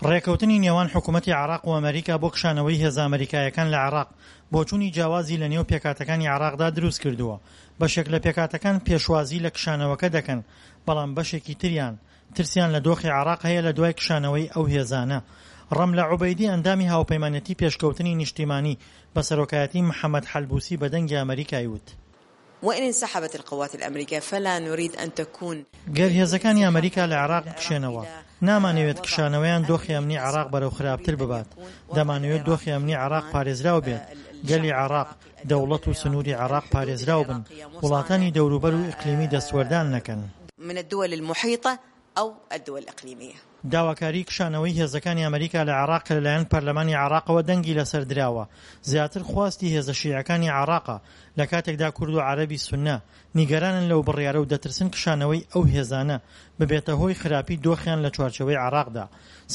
ڕێکەوتنی نێوان حکومەتی عێراق و ئەمەریکا بۆ کشانەوەی هێزە ئەمەریکایەکان لە عێراق، بۆچوونی جیاوازی لە نێو پێکهاتەکانی عێراقدا دروست کردووە، بەشێک لە پێکهاتەکان پێشوازی لە کشانەوەکە دەکەن، بەڵام بەشێکی تریان ترسیان لە دۆخی عێراق هەیە لە دوای کشانەوەی ئەو هێزانە. ڕەملە عوبەیدی ئەندامی هاوپەیمانێتی پێشکەوتنی نیشتیمانی بە سەرۆکایەتی محەمەد حەلبوسی بە دەنگی ئەمەریکای وت. وان انسحبت القوات الامریکیە فلا نرید ان تکون. گەر هێزەکانی ئەمەریکا لە عێراق بکشێنەوە، نامانەوێت کشانەوەیان دۆخی ئەمنی عێراق بەرەو خراپتر ببات، دەمانەوێت دۆخی ئەمنی عێراق پارێزراو بێت، گەلی عێراق، دەوڵەت و سنووری عێراق پارێزراو بن، وڵاتانی دەوروبەر و ئیقلیمی دەستوەردان نەکەن. من الدول المحیطە او الدول الاقلیمیە. داواکاریی کشانەوەی هێزەکانی ئەمریکا لە عێراق کە لەلایەن پەرلەمانی عێراقەوە دەنگی لەسەر دراوە، زیاتر خواستی هێزە شیعەکانی عێراقە، لە کاتێکدا کورد و عەرەبی سوننە نیگەرانن لەو بڕیارە و دەترسن کشانەوەی ئەو هێزانە ببێتە هۆی خراپی دۆخیان لە چوارچێوەی عێراقدا.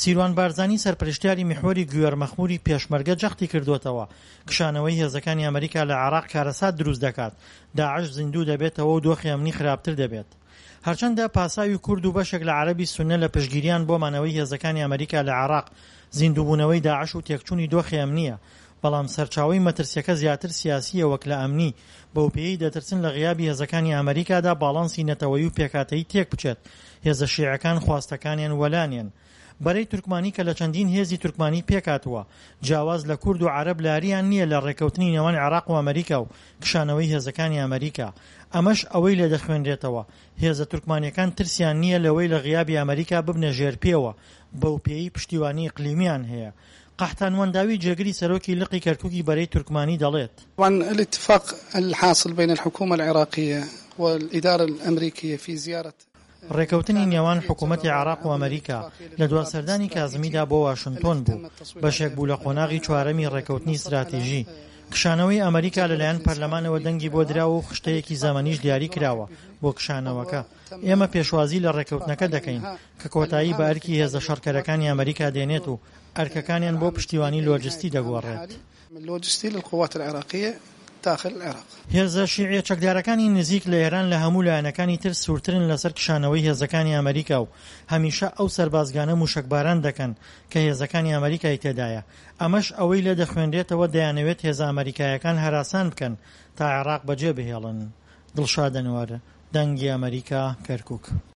سیروان بارزانی سەرپەرشتیاری میحوەری گوێر مەخموری پێشمەرگە جەختی کردووەتەوە، کشانەوەی هێزەکانی ئەمریکا لە عێراق کارەسات دروست دەکات، داعش زیندوو دەبێتەوە و دۆخی ئەمنی خراپتر دەبێت. هەرچەندە پاساوی کورد و بەشێک لە عەرەبی سوننە لە پشتگیریان بۆ مانەوەی هێزەکانی ئەمریکا لە عێراق، زیندووبوونەوەی داعش و تێکچوونی دۆخی ئەمنییە، بەڵام سەرچاوەی مەترسییەکە زیاتر سیاسییە وەک لە ئەمنی، بەوپێیەی دەترسن لە غیابی هێزەکانی ئەمریکادا باڵانسی نەتەوەیی و پێکهاتەیی تێکبچێت، هێزە شیعەکان خواستەکانیان وەلانێن. بەرەی تورکمانی کە لە چەندین هێزی تورکمانی پێکهاتووە، جیاواز لە کورد و عەرەب لارییان نییە لە ڕێککەوتنی نێوان عێراق و ئەمریکا و کشانەوەی هێزەکانی ئەمریکا. ئەمەش ئەوەی لێدەخوێنرێتەوە، هێزە تورکمانییەکان ترسیان نییە لەوەی لە غیابی ئەمریکا ببنە ژێرپێوە، بەوپێیەی پشتیوانی ئیقلیمیان هەیە. قەحتان وەنداوی جێگری سەرۆکی لقی کەرکوکی بەرەی تورکمانی دەڵێت. طبعا الاتفاق الحاصل بین الحکومە العراقیە والادارە الامریکیە فی زیارە. ڕێکەوتنی نێوان حکومەتی عێراق و ئەمەریکا لە دوا سەردانی کازمیدا بۆ واشنتۆن بوو، بەشێک بوو لە قۆناغی چوارەمی ڕێکەوتنی ستراتیژی. کشانەوەی ئەمەریکا لەلایەن پەرلەمانەوە دەنگی بۆ دراوە و خشتەیەکی زەمەنیش دیاری کراوە بۆ کشانەوەکە. ئێمە پێشوازی لە ڕێکەوتنەکە دەکەین کە کۆتایی بە ئەرکی هێزە شەڕکەرەکانی ئەمەریکا دێنێت و ئەرکەکانیان بۆ پشتیوانی لۆجستی دەگۆڕێت. اللوجستي للقوات العراقية داخل العراق. هێزە شیعیە چەکدارەکانی نزیک لە ئێران لە هەموو لایەنەکانی تر سوورترن لەسەر کشانەوەی هێزەکانی ئەمەریکا و هەمیشە ئەو سەربازگانە موشەکباران دەکەن کە هێزەکانی ئەمەریکای تێدایە ئەمەش ئەوەی لێ دەخوێنرێتەوە دەیانەوێت هێزە ئەمەریکایەکان هەراسان بکەن تا عێراق بەجێ بهێڵن. دڵشاد ئەنوەر، دەنگی ئەمەریکا، کەرکوک.